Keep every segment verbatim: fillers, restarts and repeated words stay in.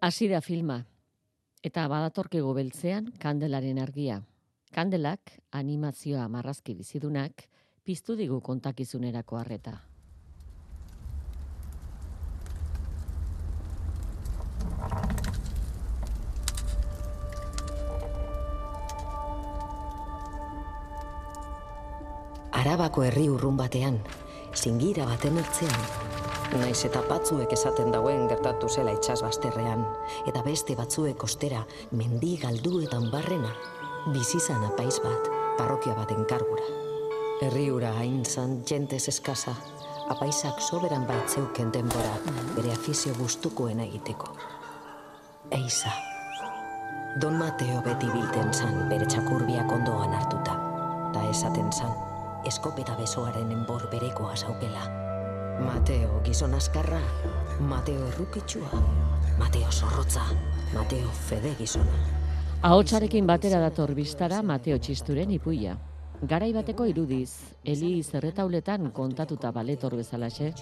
Hasi da filma, eta badatorkigu beltzean kandelaren argia. Kandelak, animazioa marrazki bizidunak, piztu digu kontakizunerako harreta. Arabako herri urrun batean, zingira baten ertzean, naiz eta batzuek esaten dauen gertatu zela itsasbazterrean, eta beste batzuek ostera mendi galduetan barrena, bizizan apaiz bat, parrokia baten kargura. Herri hura hain zan jentez eskasa, apaizak soberan baitzeuken denbora bere afizio gustukoena egiteko. Eiza. Don Mateo beti bilten zan bere txakurbiak ondoan hartuta, ta esaten zan, eskopeta besoaren enbor berekoa zaukela. Mateo gizon askarra, Mateo errukitsua, Mateo zorrotza, Mateo fede gizona. Ahotsarekin batera dator bistara Mateo Txisturen ipuia. Garai bateko irudiz, Eli zerretauletan kontatuta baletor bezalaxe,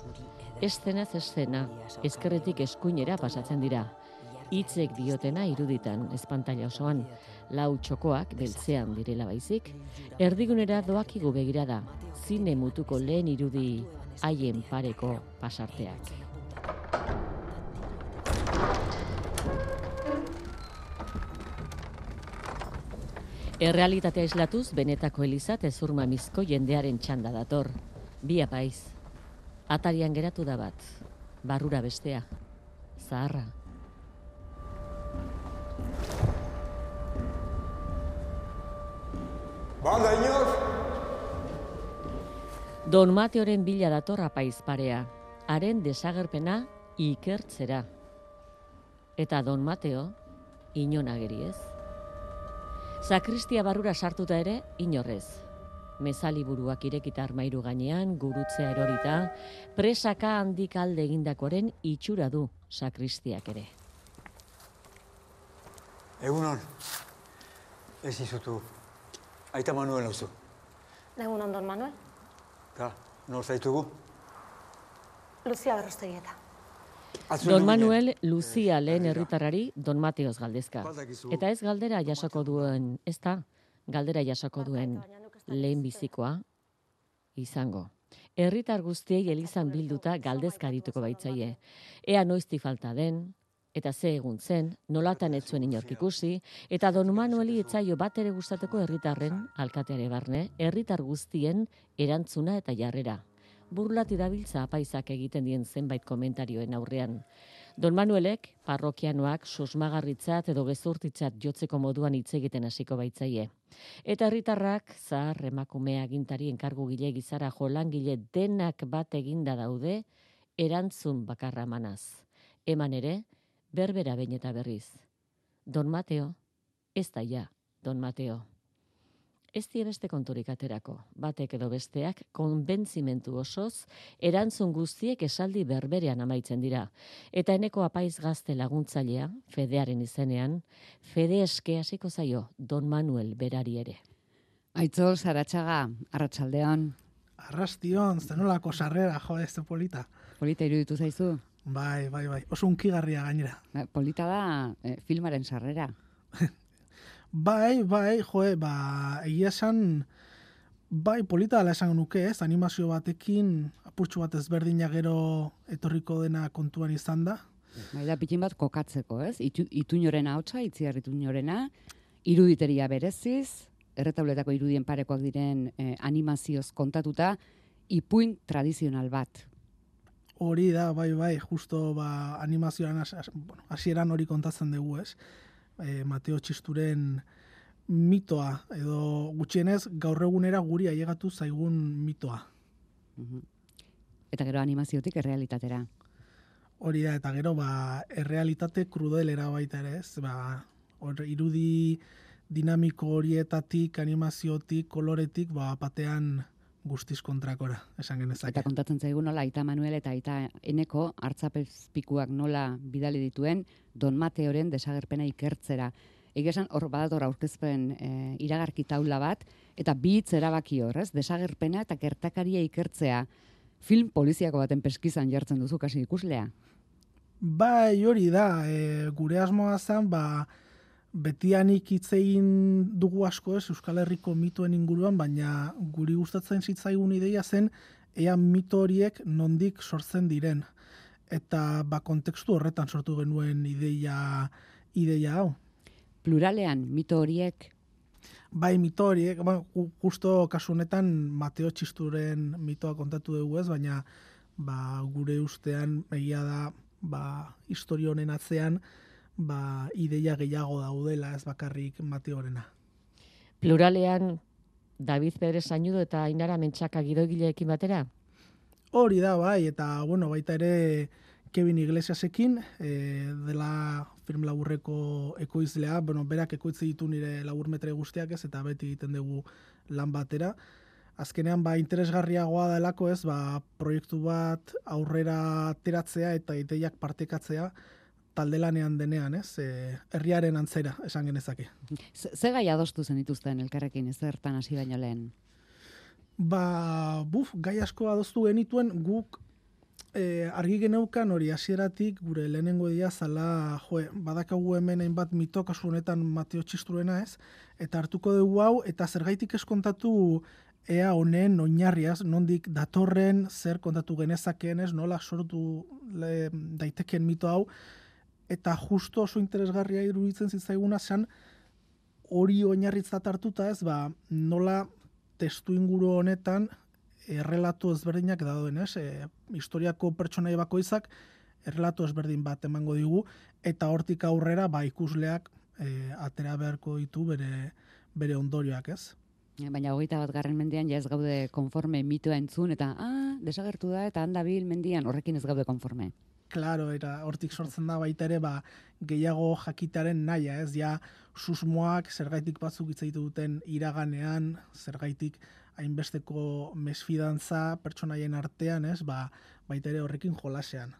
eszenaz eszena, ezkerretik eskuinera pasatzen dira. Hitzek diotena iruditan, espantaila osoan, lau txokoak beltzean direla baizik, erdigunera doakigu begirada, zine mutuko lehen irudi haien pareko pasarteak. Errealitatea islatuz, benetako elizat ezurmamizko jendearen txanda dator. Bi apaiz. Atarian geratu da bat, barrura bestea, zaharra. Bada, inor! Don Mateoren bila dator apaiz parea, haren desagerpena ikertzera. Eta Don Mateo, inon ageri ez. Sakristia barrura sartuta ere, inorrez. Mezaliburuak irekita armairu gainean, gurutzea erorita, presaka handik alde egindakoren itxura du sakristiak ere. Egunon, ez izutu. Aita Manuel hauzu. Egunon, Don Manuel. Ka, nor zaitugu? Lucia Berrostegieta. Don Manuel Lucia lehen herritarrari Don Mateoz galdezka. Eta ez galdera jasoko duen, ez da, galdera jasoko duen lehen bizikoa izango. Herritar guztiei elizan bilduta galdezka dituko baitzaie. Ea noizti falta den, eta ze egun zen, nolatan ez zuen inork ikusi, eta Don Manueli etzaio bat ere gustateko herritarren, alkateare barne, herritar guztien erantzuna eta jarrera. Burlati dabiltza apaizak egiten dien zenbait komentarioen aurrean. Don Manuelek, parrokianoak susmagarritzat edo gezurtitzat jotzeko moduan hitz egiten hasiko baitzaie. Eta herritarrak, zahar emakume agintari enkargu gile gizara jolangile denak bat eginda daude, erantzun bakarra manaz. Eman ere, berbera behin eta berriz. Don Mateo, ez da ja, Don Mateo. Ez die beste konturik aterako, batek edo besteak konbentzimentu osoz, erantzun guztiek esaldi berberean amaitzen dira. Eta eneko apaiz gazte laguntzailea, Fedearen izenean, Fede eske hasiko zaio Don Manuel berari ere. Aitzol, Zaratxaga, arratsaldeon. Arrastion, zenolako sarrera, jo, ez polita. Polita iruditu zaizu? Bai, bai, bai, oso unkigarria gainera. Polita da eh, filmaren sarrera. Bai, bai, joe, ba, egia esan, bai, polita dela esan nuke, ez, animazio batekin, apurtxu bat ezberdina gero etorriko dena kontuan izan da. Bai da, pitin bat kokatzeko, ez? Itu, ituñorena hotza, itziar ituñorena, iruditeria bereziz, erretauletako irudien parekoak diren eh, animazioz kontatuta, ipuin tradizional bat. Hori da, bai, bai, justo ba, animazioan bueno, hasieran hori kontatzen dugu, ez? E, Mateo Txisturen mitoa, edo gutxienez gaur egunera guri ailegatu zaigun mitoa. Uh-huh. Eta gero animaziotik errealitatera. Hori da, eta gero ba, errealitate krudelera baita ere, ez? Ba, hor, irudi dinamiko horietatik, animaziotik, koloretik, ba, batean guztiz kontrakora, esan genezake. Eta kontatzen zaigu nola Aita Manuel eta Aita Eneko hartzapezpikuak nola bidali dituen Don Mateoren desagerpena ikertzera. Egesan hor badator aurkezpen e, iragarki taula bat, eta bi hitz erabaki hor, ez? Desagerpena eta gertakaria ikertzea. Film poliziako baten peskizan jartzen duzu kasi ikuslea. Bai, hori da, e, gure asmoa zen, ba, betianik hitz egin dugu asko ez Euskal Herriko mitoen inguruan, baina guri gustatzen zitzaigun ideia zen ea mito horiek nondik sortzen diren. Eta ba, kontekstu horretan sortu genuen ideia, ideia hau. Pluralean, mito horiek? Bai, mito horiek, ba, justo kasu honetan Mateo Txisturen mitoa kontatu dugu ez, baina ba, gure ustean egia da ba, historia honen atzean ba, ideia gehiago daudela ez bakarrik Mateorena. Pluralean David Pérez Sañudo eta Ainara Mentxaka gidoigileekin batera? Hori da, bai, eta bueno, baita ere Kevin Iglesiasekin, e, dela film laburreko ekoizlea, bueno, berak ekoitzi ditu nire laburmetre guztiak ez, eta beti egiten dugu lan batera. Azkenean, ba, interesgarriagoa delako ez, ba, proiektu bat aurrera ateratzea eta ideiak partekatzea talde lanean denean, ez, e, herriaren antzera, esan genezake. Ze gai adostu zen dituzten elkarrekin, ez zertan hasi baino lehen? Ba, buf, gai asko adostu genituen guk e, argi geneukan hori hasieratik gure lehenengo dia zala, jo, badakagu hemen hainbat mito, kasu honetan Mateo Txisturuena ez, eta hartuko dugu hau, eta zergaitik ez kontatu ea honen oinarriaz, nondik datorren, zer kontatu genezakeen ez, nola sortu le, daiteken mito hau, eta justo oso interesgarria iruditzen zitzaiguna zen hori oinarritzat hartuta ez, ba, nola testu inguru honetan errelato ezberdinak dauden, ez? E, historiako pertsonai bakoitzak errelato ezberdin bat emango digu, eta hortik aurrera ba, ikusleak e, atera beharko ditu bere, bere ondorioak, ez? Baina hogeita bat garren mendean ja ez gaude konforme mitoa entzun, eta ah, desagertu da, eta handabil mendian horrekin ez gaude konforme. Claro, era hortik sortzen da baita ere ba, gehiago jakitaren naia, ez? Ja, susmoak zergaitik batzuk hitz egiten duten iraganean, zergaitik hainbesteko mesfidantza pertsonaien artean, ez? Ba, baita ere horrekin jolasean.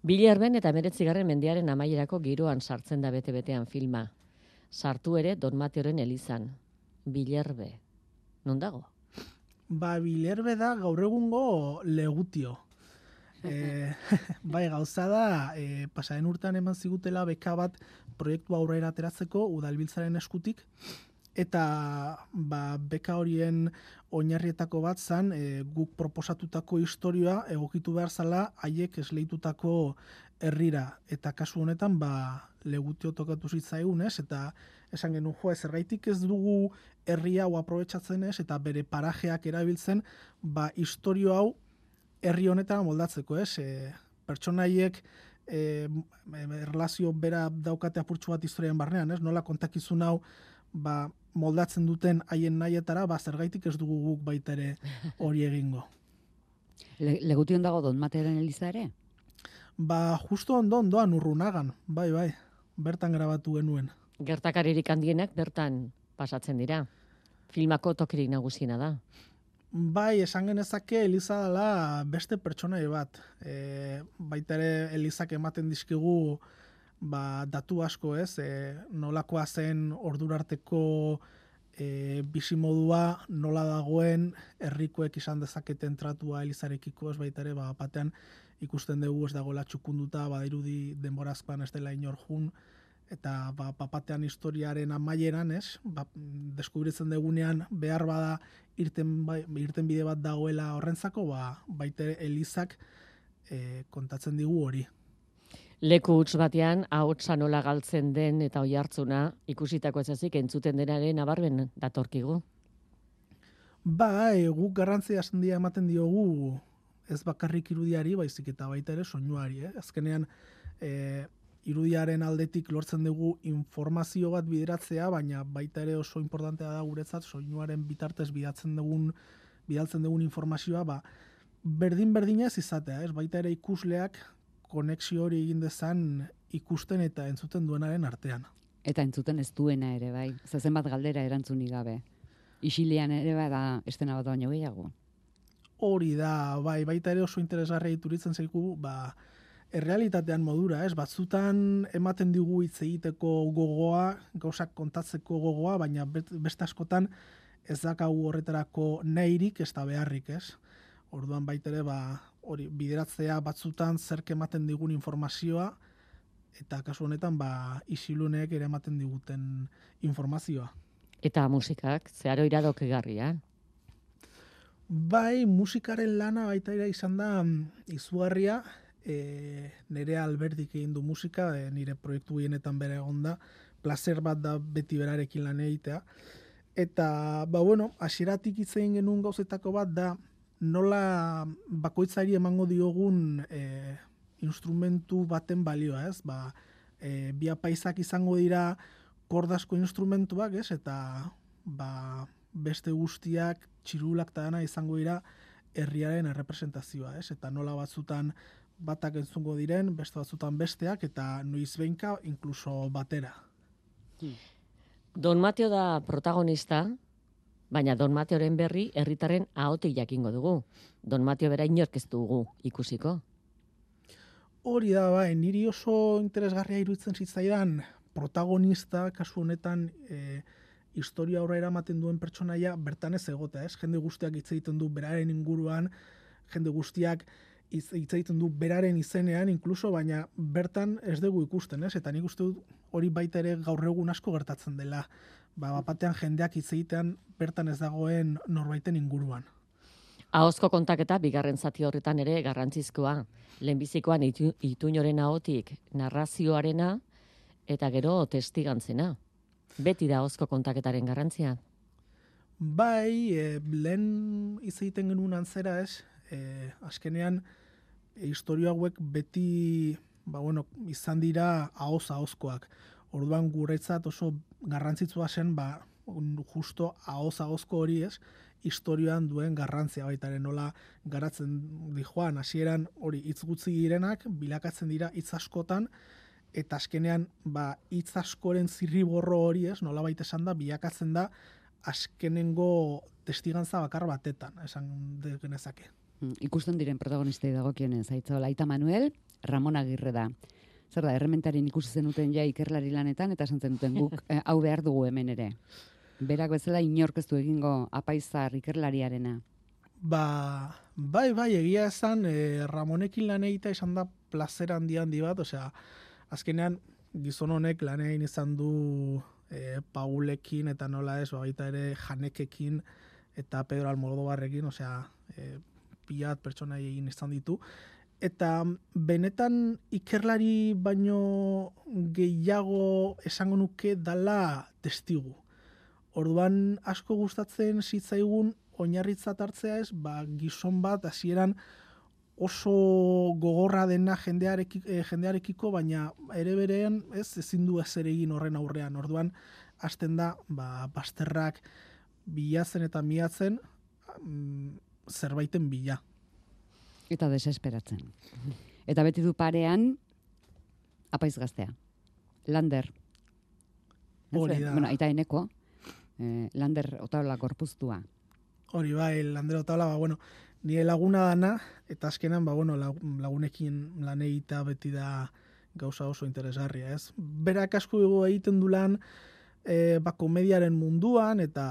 Bilerben eta hemeretzigarren mendearen amaierako giroan sartzen da bete-betean filma. Sartu ere Don Mateoren elizan. Bilerbe. Non dago? Ba, Bilerbe da gaur egungo Legutio. E, bai, gauza da, e, pasaren urtean eman zigutela beka bat proiektu aurrera ateratzeko udalbiltzaren eskutik, eta ba, beka horien oinarrietako bat zan, e, guk proposatutako historia egokitu behar zala haiek esleitutako herrira, eta kasu honetan ba, Legutio tokatu zitzaigun ez, eta esan genuen jo, zergaitik ez dugu herri hau aprobetxatzen ez, eta bere parajeak erabiltzen, ba, historio hau herri honetan moldatzeko, ez? E, pertsonaiek e, erlazio bera daukate apurtxu bat historian barnean, ez? Nola kontakizun hau ba, moldatzen duten haien nahietara, ba, zergaitik ez dugu guk baita ere hori egingo. Le, Legution dago Don Mateoren eliza ere? Ba, justo ondo ondoan Urrunagan, bai, bai, bertan grabatu genuen. Gertakaririk handienak bertan pasatzen dira. Filmako tokirik nagusiena da. Bai, esan genezake Eliza dela beste pertsonai bat. E, baita ere Elizak ematen dizkigu ba, datu asko ez, e, nolakoa zen ordurarteko e, bizimodua, nola dagoen herrikoek izan dezaketen tratua Elizarekiko ez baita ere, ba, batean ikusten dugu ez dagoela txukunduta, badirudi denborazkoan ez dela inor jun, eta ba, papatean historiaren amaieran, ez, ba, deskubritzen dugunean behar bada irten, irten bide bat dagoela horrentzako, ba, baita Elizak e, kontatzen digu hori. Leku huts batean, ahotsa nola galtzen den eta oihartzuna ikusitako ezazik entzuten denaren nabarmen datorkigu. Ba, e, guk garrantzia handia ematen diogu ez bakarrik irudiari, baizik eta baita ere soinuari, eh? Azkenean, e, irudiaren aldetik lortzen dugu informazio bat bideratzea, baina baita ere oso importantea da guretzat soinuaren bitartez bidaltzen dugun bidaltzen dugun informazioa, ba, berdin-berdinez izatea, ez? Baita ere ikusleak konexio hori egin dezan ikusten eta entzuten duenaren artean. Eta entzuten ez duena ere, bai. Zazen bat galdera erantzunik gabe. Isilean ere bada estena bat baino gehiago. Hori da, bai, baita ere oso interesgarria ituritzen zaigu, ba, errealitatean modura, ez? Batzutan ematen digu hitz egiteko gogoa, gauzak kontatzeko gogoa, baina beste askotan ez dakagu horretarako nahirik ez da beharrik, ez? Orduan baita ere, ba, hori bideratzea batzutan zerk ematen digun informazioa, eta kasu honetan ba, isiluneek ere ematen diguten informazioa. Eta musikak, zeharo iradokigarria. Bai, musikaren lana baita ere izan da izugarria, e, nire Alberdik egin du musika, e, nire proiektu gehienetan bere egon da, placer bat da beti berarekin lan egitea. Eta, ba bueno, hasieratik hitz egin genuen gauzetako bat da, nola bakoitzari emango diogun e, instrumentu baten balioa, ez? Ba, e, bi apaizak izango dira kordasko instrumentuak, ez? Eta ba, beste guztiak, txirulak eta dana izango dira herriaren errepresentazioa, ez? Eta nola batzutan batak entzungo diren, beste batzutan besteak, eta noiz behinka inkluso batera. Don Mateo da protagonista, baina Don Mateoren berri herritarren ahotik jakingo dugu. Don Mateo bera inork ez dugu ikusiko. Hori da, bai, niri oso interesgarria iruditzen zitzaidan protagonista, kasu honetan, e, historia aurrera ematen duen pertsonaia bertan ez egotea, ez? Jende guztiak hitz egiten du beraren inguruan, jende guztiak hitz egiten du beraren izenean, inkluso, baina bertan ez dugu ikusten, ez? Eta nik uste dut hori baita ere gaur egun asko gertatzen dela. Ba, bapatean jendeak hitz egitean bertan ez dagoen norbaiten inguruan. Ahozko kontaketa bigarren zati horretan ere garrantzizkoa. Lehenbizikoan itu, Ituñoren ahotik narrazioarena eta gero testigantzena. Beti da ahozko kontaketaren garrantzia. Bai, e, lehen hitz egiten genuen antzera, ez? E, azkenean, e, historia hauek beti ba, bueno, izan dira ahoz ahozkoak. Orduan guretzat oso garrantzitsua zen, ba, justo ahoz ahozko hori, ez? Historioan duen garrantzia baitaren nola garatzen di joan, hasieran hori hitz gutxi direnak bilakatzen dira hitz askotan, eta azkenean ba hitz askoren zirriborro hori, ez, nolabait esan da bilakatzen da azkenengo testigantza bakar batetan, esan genezake. Ikusten diren protagonistei dagokionez, Aitzaola Aita Manuel, Ramon Agirre da. Zer da, errementaren ikusi zenuten ja ikerlari lanetan eta esan zenuten guk eh, hau behar dugu hemen ere. Berak bezala inork ez du egingo apaizar ikerlariarena. Ba, bai, bai, egia esan, e, Ramonekin lan egitea izan da plazer handi handi bat, osea, azkenean gizon honek lan egin izan du e, Paulekin eta nola ez, baita ere Janekekin eta Pedro Almodobarrekin, osea, e, pilat pertsona egin izan ditu. Eta benetan ikerlari baino gehiago esango nuke dala testigu. Orduan asko gustatzen zitzaigun oinarritzat hartzea ez, ba, gizon bat hasieran oso gogorra dena jendeareki, eh, jendearekiko, baina ere berean ez ezin du ezer egin horren aurrean. Orduan hasten da ba, bazterrak bilatzen eta miatzen mm, zerbaiten bila. Eta desesperatzen. Eta beti du parean apaiz gaztea. Lander. Hori da. Bueno, aita eneko. Eh, Lander Otaola gorpuztua. Hori bai, Lander Otaola, ba, bueno, nire laguna dana, eta azkenan, ba, bueno, lagunekin lan egitea beti da gauza oso interesgarria, ez? Berak asko egiten du lan, e, ba, komediaren munduan, eta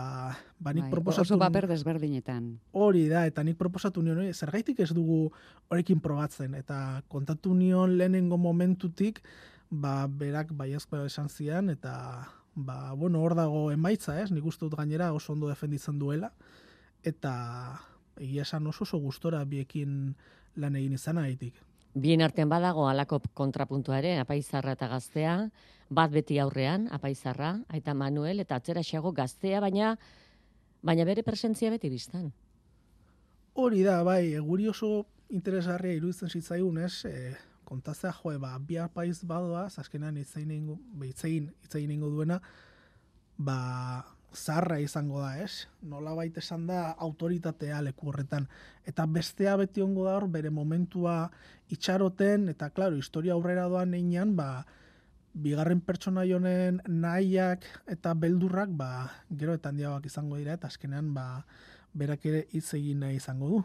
ba, nik bai, proposatu... Oso paper desberdinetan. Hori da, eta nik proposatu nion, oi, zergaitik ez dugu horrekin probatzen, eta kontatu nion lehenengo momentutik, ba, berak baiezkoa esan zian, eta... Ba, bueno, hor dago emaitza, ez? Nik uste dut gainera oso ondo defenditzen duela, eta egia esan oso oso gustora biekin lan egin izan haitik. Bien artean badago halako kontrapuntua ere, apaizarra eta gaztea, bat beti aurrean, apaizarra, Aita Manuel, eta atzera xago gaztea, baina baina bere presentzia beti biztan. Hori da, bai, guri oso interesgarria iruditzen zitzaigun, ez? E, kontatzea, joe, ba, bi apaiz badoaz, azkenean hitzein hitzein ingo duena, ba, zarra izango da, ez? Nolabait esan da autoritatea leku horretan. Eta bestea beti ongo da hor, bere momentua itxaroten, eta, klaro, historia aurrera doan einean, ba, bigarren pertsona honen nahiak eta beldurrak, ba, gero eta handiagoak izango dira, eta azkenean, ba, berak ere hitz egin nahi izango du.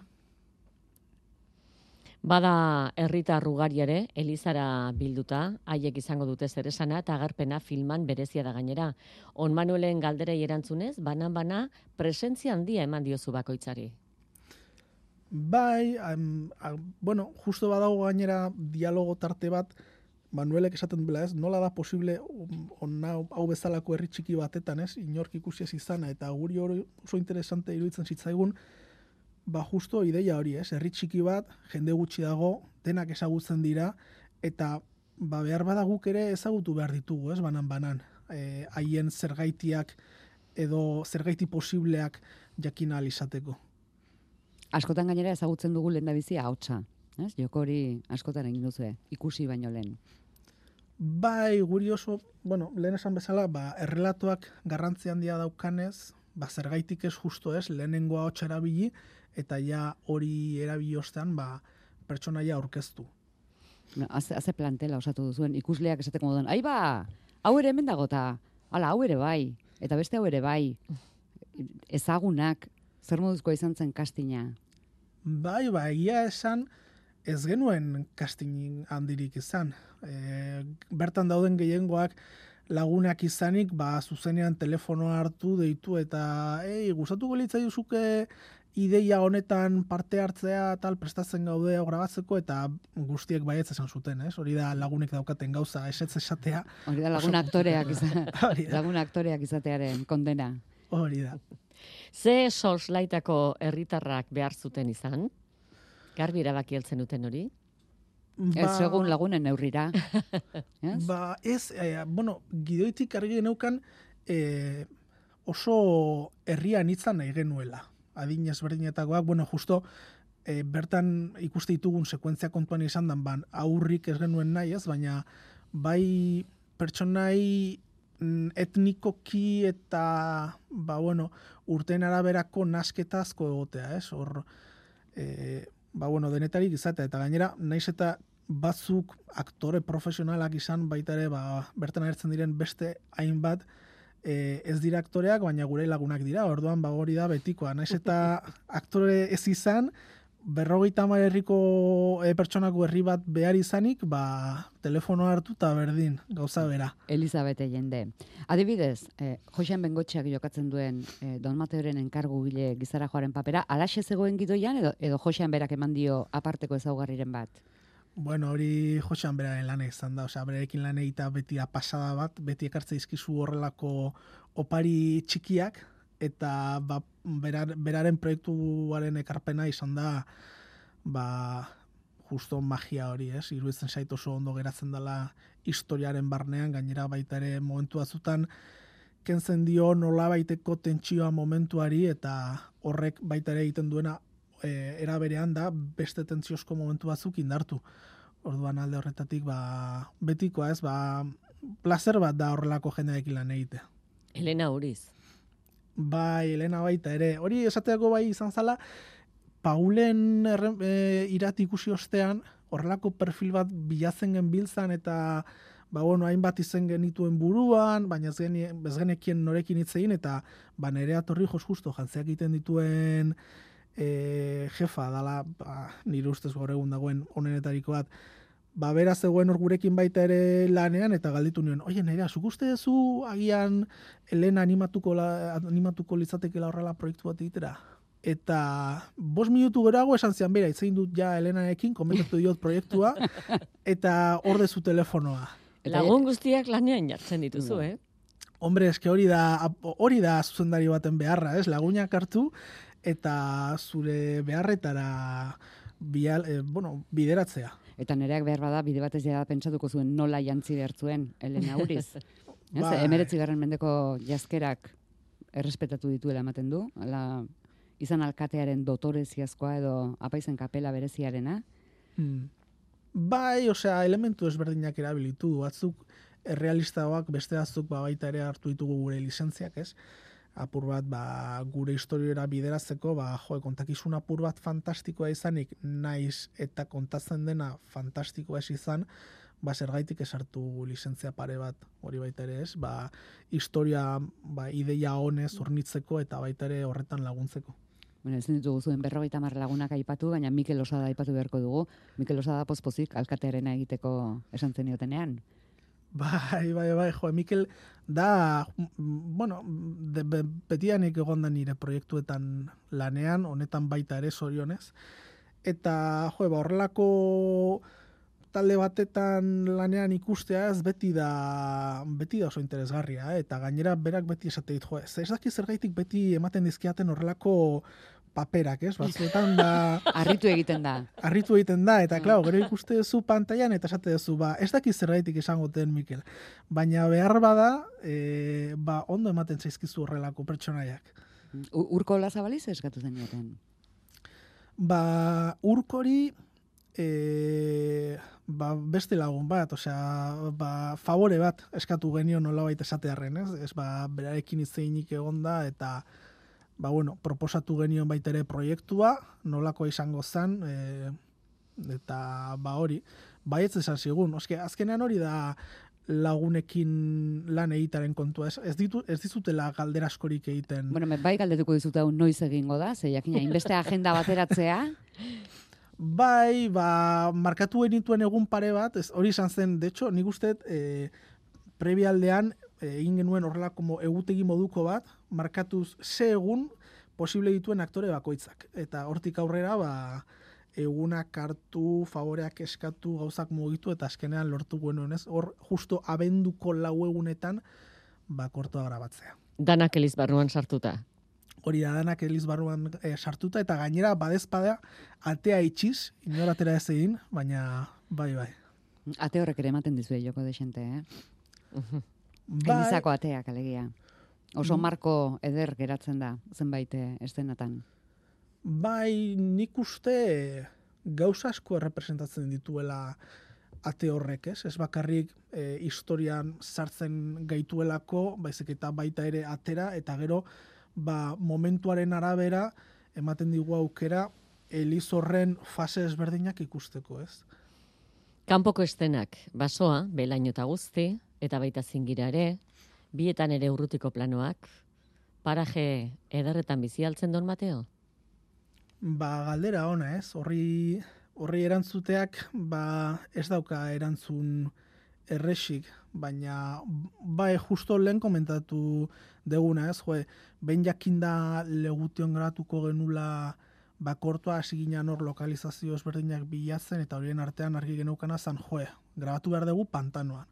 Bada herritar ugari ere, Elizara bilduta, haiek izango dute zeresana eta agerpena filman berezia da gainera. On Manuelen galderei erantzunez, banan-bana presentzia handia eman diozu bakoitzari. Bai, am, am, bueno, justo badago gainera dialogo tarte bat, Manuelek esaten duela, ez, nola da posible onna, hau bezalako herri txiki batetan, ez, inork ikusi ez izana, eta guri hori oso interesante iruditzen zitzaigun, ba justo ideia hori, ez, herri txiki bat, jende gutxi dago, denak ezagutzen dira, eta ba behar bada guk ere ezagutu behar ditugu, ez, banan-banan, e, haien zergaitiak edo zergaiti posibleak jakin ahal izateko. Askotan gainera ezagutzen dugu lehendabizi ahotsa, ez? Joko hori askotan egin duzu, ikusi baino lehen. Bai, guri oso, bueno, lehen esan bezala, ba, errelatoak garrantzi handia daukanez, ba, zergaitik ez justo ez, lehenengo ahotsa erabili, eta ja hori erabili ostean, ba, pertsonaia aurkeztu. No, haze, haze plantela osatu duzuen, ikusleak esateko moduan, ai ba, hau ere hemen dagota, hala, hau ere bai, eta beste hau ere bai, ezagunak, zer moduzkoa izan zen kastina? Bai, ba, egia esan, ez genuen casting handirik izan. E, bertan dauden gehiengoak lagunak izanik, ba, zuzenean telefonoa hartu, deitu, eta ei, gustatuko litzaizuke ideia honetan parte hartzea tal prestatzen gaude hau grabatzeko, eta guztiek baietz esan zuten, ez? Hori da lagunek daukaten gauza, esetz esatea. Hori da lagun aktoreak, izan, lagun aktoreak izatearen kondena. Hori da. Ze soslaitako herritarrak behar zuten izan? Garbi erabaki heltzen duten hori? Ba, ez segun lagunen neurrira. yes? Ba, ez, eh, bueno, gidoitik argi geneukan eh, oso herrian itzan nahi genuela. Adin ezberdinetakoak, bueno, justo eh, bertan ikuste ditugun sekuentzia kontuan izan dan, ban, aurrik ez genuen nahi, ez, baina bai pertsonai etnikoki eta ba, bueno, urten araberako nasketazko egotea, ez? Hor, e, ba, bueno, denetarik izatea, eta gainera, naiz eta batzuk aktore profesionalak izan baita ere, ba, bertan agertzen diren beste hainbat e, ez dira aktoreak, baina gure lagunak dira, orduan ba, hori da betikoa. Naiz eta aktore ez izan, berrogeita hamar herriko e, pertsonako herri bat behar izanik, ba, telefonoa hartu eta berdin, gauza bera. Elizabete jende. Adibidez, eh, Joxean Bengotxeak jokatzen duen eh, Don Mateoren enkargu gile gizara joaren papera, alaxe zegoen gidoian edo, edo Joxean berak eman dio aparteko ezaugarriren bat? Bueno, hori Joxean beraren lan izan da, osea, berarekin lan egita beti pasada bat, beti ekartze dizkizu horrelako opari txikiak, eta ba, berar, beraren proiektuaren ekarpena izan da ba, justo magia hori, ez? Iruditzen zait oso ondo geratzen dela historiaren barnean, gainera baita ere momentu batzutan kentzen dio nolabaiteko tentsioa momentuari, eta horrek baita ere egiten duena e, era berean da beste tentsiozko momentu batzuk indartu. Orduan alde horretatik ba, betikoa, ez? Ba, placer bat da horrelako jendeekin lan egitea. Elena Uriz. Bai, Elena baita ere. Hori esateako bai izan zala, Paulen erren, e, irati ikusi ostean, horrelako perfil bat bilatzen genbiltzan, eta ba, bueno, hainbat izen genituen buruan, baina ez, geni, ez genekien norekin hitz egin, eta ba, Nerea Torrijos justo jantzeak egiten dituen e, jefa, dala, ba, nire ustez gaur egun dagoen onenetariko bat, ba, bera zegoen hor gurekin baita ere lanean, eta galditu nioen, oie, Nerea, zuk uste duzu agian Elena animatuko, la, animatuko litzatekela horrela proiektu bat egitera? Eta bost minutu geroago esan zian, bera, itzein dut ja Elenarekin, komentatu diot proiektua, eta hor dezu telefonoa. Lagun guztiak lanean jartzen dituzu, eh? Hombre, eske hori da, hori da zuzendari baten beharra, ez? Lagunak hartu, eta zure beharretara bial, eh, bueno, bideratzea. Eta Nereak behar bada, bide batez jada pentsatuko zuen nola jantzi behar zuen, Elena Uriz. Bai. Emeretzi garren mendeko jazkerak errespetatu dituela ematen du, ala, izan alkatearen dotoreziazkoa edo apaizen kapela bereziarena. Hmm. Bai, osea, elementu ezberdinak erabilitu du, batzuk errealistagoak, beste batzuk ba, baita ere hartu ditugu gure lizentziak, ez? Apur bat, ba, gure historiora bideratzeko, ba, jo, kontakizun apur bat fantastikoa izanik, naiz eta kontatzen dena fantastikoa ez izan, ba, zergaitik esartu lizentzia pare bat, hori baita ere ez, ba, historia, ba, ideia honez hornitzeko eta baita ere horretan laguntzeko. Bueno, ezin ditugu zuen berrogeita hamar lagunak aipatu, baina Mikel Osada aipatu beharko dugu. Mikel Osada pozpozik alkatearena egiteko esan zeniotenean. Bai, bai, bai, jo, Mikel da, bueno, de, be, betianik egon da nire proiektuetan lanean, honetan baita ere zorionez, eta jo, ba, horrelako talde batetan lanean ikustea ez beti da beti da oso interesgarria, eh? Eta gainera berak beti esate dit, jo, ez daki zergaitik beti ematen dizkiaten horrelako paperak, ez? Batzuetan da harritu egiten da. Harritu egiten da eta claro, gero ikuste duzu pantailan eta esate duzu, ba, ez daki zergaitik izango den Mikel. Baina behar bada, e, ba, ondo ematen zaizkizu horrelako pertsonaiak. Urko Lazabaliz eskatu zenioten? Ba, Urkori e, ba, beste lagun bat, osea, ba, favore bat eskatu genio nolabait esatearren, ez? Ez ba, berarekin itzeinik egonda eta ba, bueno, proposatu genion baita ere proiektua, nolako izango zen, e, eta ba hori, baietz esan zigun, oske, azkenean hori da lagunekin lan egitaren kontua, ez, ez, ditu, ez dizutela galdera askorik egiten. Bueno, bai galdetuko dizut hau noiz egingo da, ze jakina, inbeste agenda bateratzea. Bai, ba, markatu genituen egun pare bat, ez, hori izan zen, de hecho, nik uste, e, prebialdean, egin genuen horrela como egutegi moduko bat, markatuz ze egun posible dituen aktore bakoitzak. Eta hortik aurrera, ba, egunak hartu, favoreak eskatu, gauzak mugitu, eta azkenean lortu genuen, ez? Hor, justo abenduko lau egunetan, ba, kortoa grabatzea. Danak Eliz barruan sartuta. Hori da, danak Eliz barruan e, sartuta, eta gainera, badezpada, atea itxiz, inor atera ez egin, baina, bai, bai. Ate horrek ere ematen dizue joko desente, eh? Bai, Elizako ateak, alegia. Oso marko eder geratzen da, zenbait eszenatan. Bai, nik uste gauza asko errepresentatzen dituela ate horrek, ez? Ez bakarrik e, historian sartzen gaituelako, baizik eta baita ere atera, eta gero ba, momentuaren arabera ematen digu aukera Eliz horren fase ezberdinak ikusteko, ez? Kanpoko estenak, basoa, belaino eta guzti, eta baita zingira ere, bietan ere urrutiko planoak, paraje ederretan bizi altzen Don Mateo? Ba, galdera ona, ez? Horri, horri erantzuteak, ba, ez dauka erantzun erresik, baina, bai, justo lehen komentatu deguna, ez? Jo, behin jakinda legution gratuko genula bakortua hasi ginen hor lokalizazio ezberdinak bilatzen, eta horien artean argi geneukana zan, jo, grabatu behar dugu pantanoan.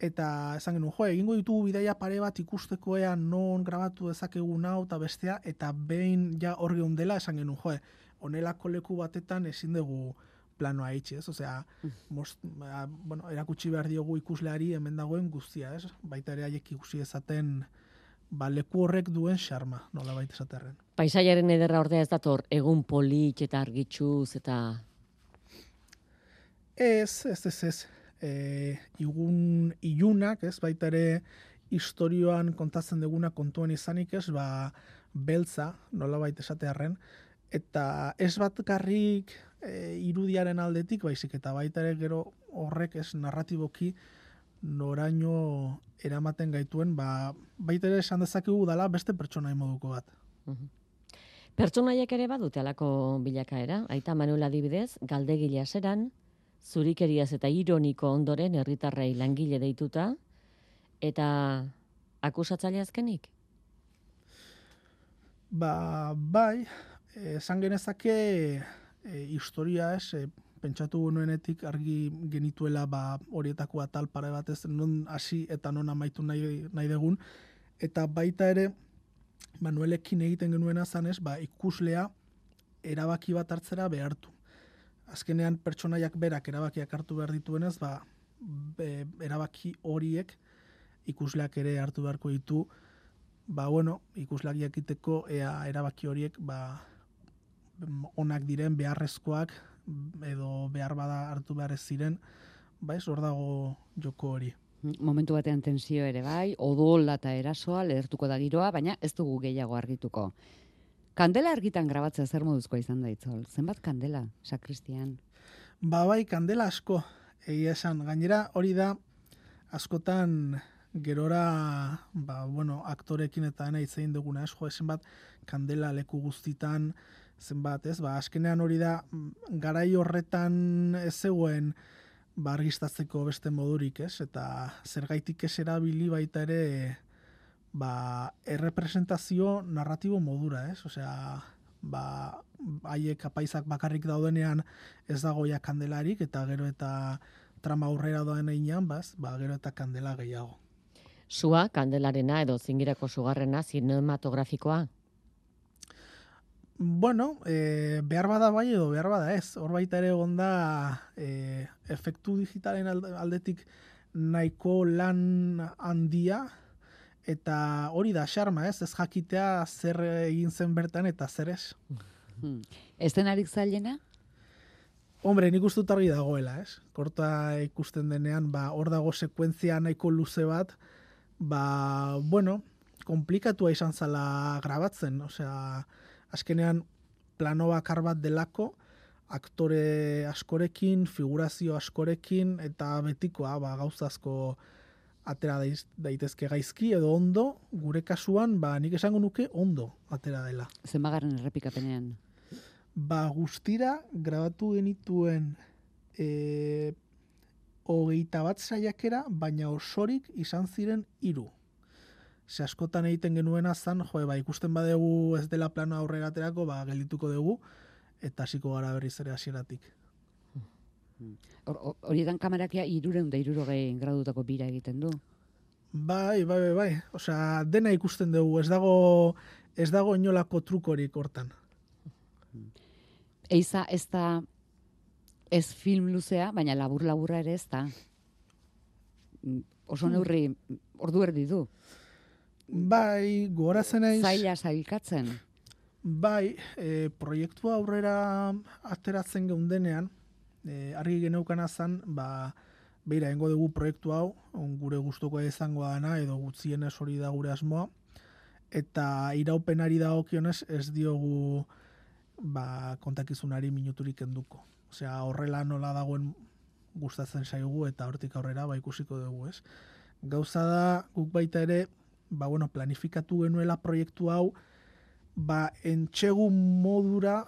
Eta esan genuen, jo, egingo ditugu bidaia pare bat ikusteko ea non grabatu dezakegun hau eta bestea, eta behin ja hor geundela esan genuen, jo, honelako leku batetan ezin dugu planoa itxi, ez? Osea, most, bueno, erakutsi behar diogu ikusleari hemen dagoen guztia, ez? Baita ere haiek ikusi ezaten ba, leku horrek duen xarma, nola baita esaterren. Paisaiaren ederra ordea ez dator, egun polit eta argitxuz eta... Ez, ez, ez, ez. E, igun ilunak, ez, baita ere historioan kontatzen duguna kontuan izanik, ez, ba, beltza, nola baita esatearren, eta ez bat garrik e, irudiaren aldetik, baizik, eta baita ere gero horrek ez narratiboki noraino eramaten gaituen, ba, baita ere esan dezakegu dala beste pertsonai moduko bat. Uh-huh. Pertsonaiek ere badute alako bilakaera, Aita Manuel adibidez, galdegile aseran, zurikeriaz eta ironiko ondoren herritarrei langile deituta, eta akusatzaile azkenik? Ba, bai, esan genezake e, historia ez, e, pentsatu genuenetik argi genituela ba, horietako atal pare batez non hasi eta non amaitu nahi, nahi degun, eta baita ere Manuelekin egiten genuena zanez, ba, ikuslea erabaki bat hartzera behartu. Azkenean pertsonaiak berak erabakiak hartu behar dituenez, ba, be, erabaki horiek ikusleak ere hartu beharko ditu, ba, bueno, ikusleak jakiteko ea erabaki horiek ba, onak diren, beharrezkoak, edo behar bada hartu behar ez ziren, ba, ez hor dago joko hori. Momentu batean tensio ere bai, odola eta erasoa lehertuko da giroa, baina ez dugu gehiago argituko. Kandela argitan grabatzea zer moduzkoa izan da Itzol? Zenbat kandela, sakristian? Ba bai, kandela asko, egia esan. Gainera hori da, askotan gerora, ba, bueno, aktorekin eta ena hitz egin duguna, ez, jo, zenbat kandela leku guztitan, zenbat, ez, ba, azkenean hori da, garai horretan ez zegoen, ba, argistatzeko beste modurik, ez, eta zergaitik ez erabili baita ere, ba, errepresentazio narratibo modura, ez? Osea, ba, haiek apaizak bakarrik daudenean ez dago ja kandelarik, eta gero eta trama aurrera doan einean, baz, ba, gero eta kandela gehiago. Sua, kandelarena edo zingirako sugarrena zinematografikoa? Bueno, e, behar bada bai edo behar bada ez. Hor baita ere gonda e, efektu digitalen aldetik nahiko lan handia, eta hori da xarma ez, ez jakitea zer egin zen bertan eta zer ez. Hmm. Eszenarik zailena? Hombre, nik uste dut argi dagoela, ez? Korta ikusten denean, ba, hor dago sekuentzia nahiko luze bat, ba, bueno, komplikatua izan zala grabatzen, osea, azkenean plano bakar bat delako, aktore askorekin, figurazio askorekin, eta betikoa, ba, gauzazko atera daitezke gaizki edo ondo, gure kasuan, ba, nik esango nuke ondo atera dela. Zenbagarren errepikapenean? Ba, guztira grabatu genituen e, hogeita bat saiakera, baina osorik izan ziren hiru. Ze askotan egiten genuena zan, jo, ba, ikusten badegu ez dela plano aurrera aterako, ba, geldituko dugu, eta hasiko gara berriz ere hasieratik. Horietan kamerakia irureun da irurogei gradutako bira egiten du? Bai, bai, bai, bai. Osea, dena ikusten dugu, ez dago, ez dago inolako trukorik hortan. Eiza ez da ez film luzea, baina labur-laburra ere ez da. Oso neurri, ordu erdi du. Bai, gogoratzen naiz. Zaila sailkatzen. Bai, e, proiektua aurrera ateratzen geundenean, e, argi geneukana zan, ba, beira, engo dugu proiektu hau, on, gure gustuko izango dana, edo gutxienez hori da gure asmoa, eta iraupenari dagokionez ez diogu ba, kontakizunari minuturik enduko. Osea, horrela nola dagoen gustatzen zaigu, eta hortik aurrera ba, ikusiko dugu, ez? Gauza da, guk baita ere, ba, bueno, planifikatu genuela proiektu hau, ba, entxegu modura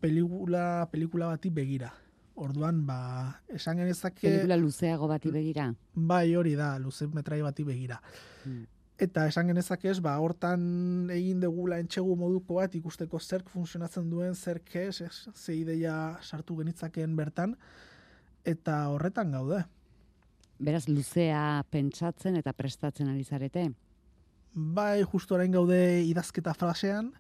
pelikula, pelikula bati begira. Orduan, ba, esan genezake... Pelikula luzeago bati begira? Bai, hori da, luze metrai bati begira. Hmm. Eta esan genezake ez, ba, hortan egin degula entxegu moduko bat, ikusteko zerk funtzionatzen duen, zerk ez, ez, ze ideia sartu genitzakeen bertan, eta horretan gaude. Beraz, luzea pentsatzen eta prestatzen ari zarete? Bai, justo orain gaude idazketa frasean,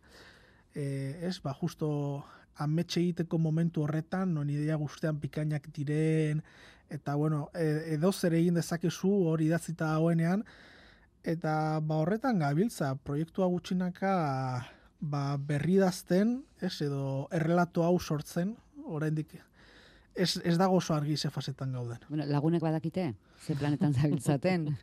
e, ez, ba, justo ametxe egiteko momentu horretan, non ideia guztean pikainak diren, eta, bueno, edo zer egin dezakezu hori idatzita dagoenean, eta, ba, horretan gabiltza, proiektua gutxinaka, ba, berri idazten, ez, edo errelato hau sortzen, oraindik ez, ez dago oso argi ze fasetan gauden. Bueno, lagunek badakite, ze planetan zabiltzaten.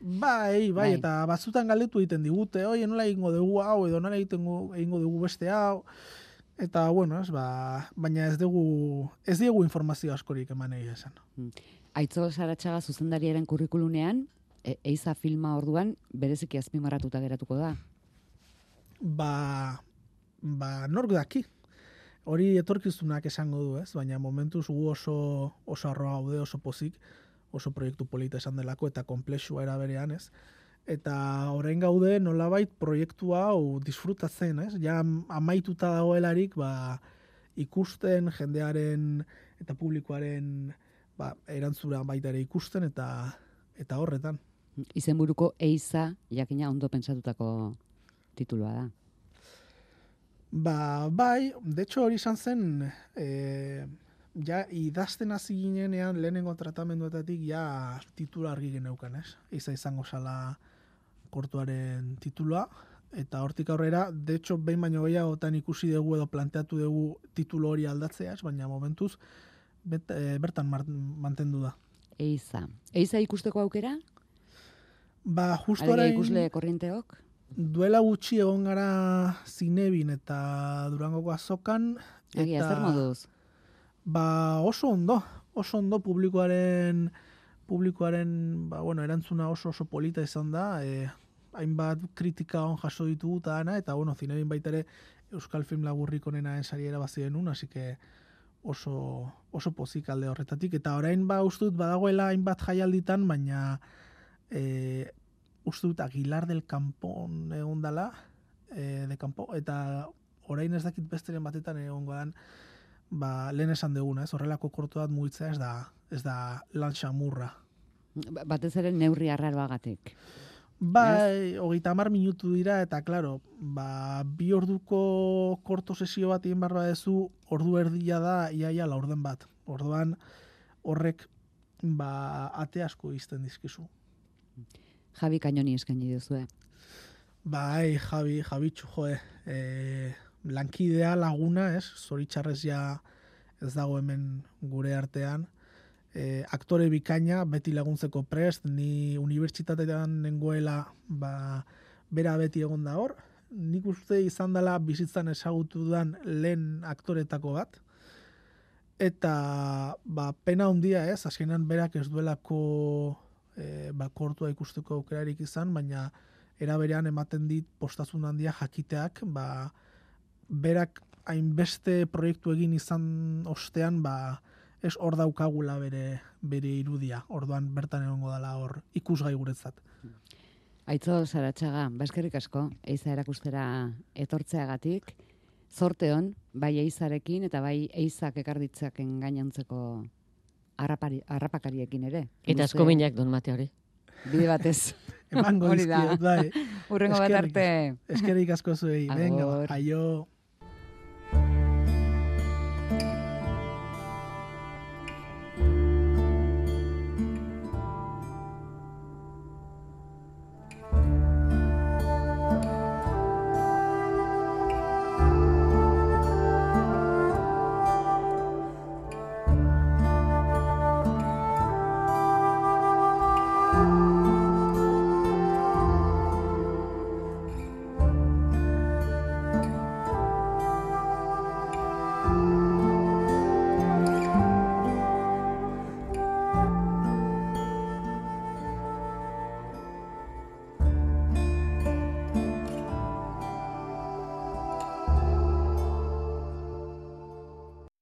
Bai, bai, bai, eta batzutan galdetu egiten digute, oi, nola egingo dugu hau, edo nola egingo dugu beste hau, eta, bueno, ez, ba, baina ez dugu, ez diegu informazio askorik eman egia esan. Aitzol Saratxaga zuzendariaren kurrikulunean, e, eiza filma orduan, bereziki azpimarratuta geratuko da? Ba, ba, nork daki. Hori etorkizunak esango du, ez, baina momentuz gu oso, oso arroa gaude, oso pozik, oso proiektu polita esan delako, eta komplexua era berean, ez? Eta orain gaude nolabait proiektu hau disfrutatzen, ez? Ja amaituta dagoelarik, ba, ikusten, jendearen eta publikoaren ba, erantzura baita ere ikusten, eta eta horretan. Izenburuko eiza, jakina ondo pentsatutako titulua da. Ba, bai, de hecho hori izan zen, eh, ja, idazten hasi ginenean lehenengo tratamenduetatik ja titula argi geneukan, ez? Eiza izango zala kortuaren titula, eta hortik aurrera, de hecho, behin baino gehiagotan ikusi dugu edo planteatu dugu titulu hori aldatzea, baina momentuz bet, e, bertan mantendu da. Eiza. Eiza ikusteko aukera? Ba, justo orain... orain... ikusle korrienteok? Duela gutxi egon gara Zinebin eta Durangoko azokan. Egia, zer moduz? Ba, oso ondo, oso ondo publikoaren, publikoaren ba, bueno, erantzuna oso oso polita izan da, e, hainbat kritika on jaso ditugu eta dana, eta bueno, Zinebin baita ere Euskal Film Laburrik onena ensari erabazien un, así que oso, oso pozik alde horretatik, eta orain ba ustut badagoela hainbat jaialditan, baina e, ustut Aguilar del Campon egon dala, e, de Campo, eta orain ez dakit besteren batetan egongo dan, ba, lehen esan duguna, ez? Horrelako korto bat mugitzea ez da, ez da lan xamurra. Batez ere neurri arraroagatik. Bai, hogeita hamar minutu dira, eta, klaro, ba, bi orduko korto sesio bat egin barba dezu, ordu erdia da, iaia laurden bat. Orduan, horrek, ba, ate asko izten dizkizu. Javi Kainoni eskaini duzue. Bai, Javi, Javitxu, joe, e, lankidea laguna, ez? Zoritxarrez ja ez dago hemen gure artean. E, aktore bikaina, beti laguntzeko prest, ni unibertsitatean nengoela, ba, bera beti egon da hor. Nik uste izan dela bizitzan ezagutu dudan lehen aktoretako bat. Eta, ba, pena handia ez, azkenan berak ez duelako e, ba, kortua ikusteko aukerarik izan, baina era berean ematen dit postazun handia jakiteak, ba, berak hainbeste proiektu egin izan ostean, ba, ez hor daukagula bere, bere irudia, orduan bertan egongo dela hor ikusgai guretzat. Aitzo Saratxaga, baskerrik asko, eiza erakustera etortzeagatik, zorte hon, bai eizarekin eta bai eizak ekarditzaken gainontzeko harrapakariekin ere. Eta asko minak Don Mate hori. Bide batez. Emango dizkiet, bai. Urrengo bat arte. Eskerrik asko zuei. Venga, aio.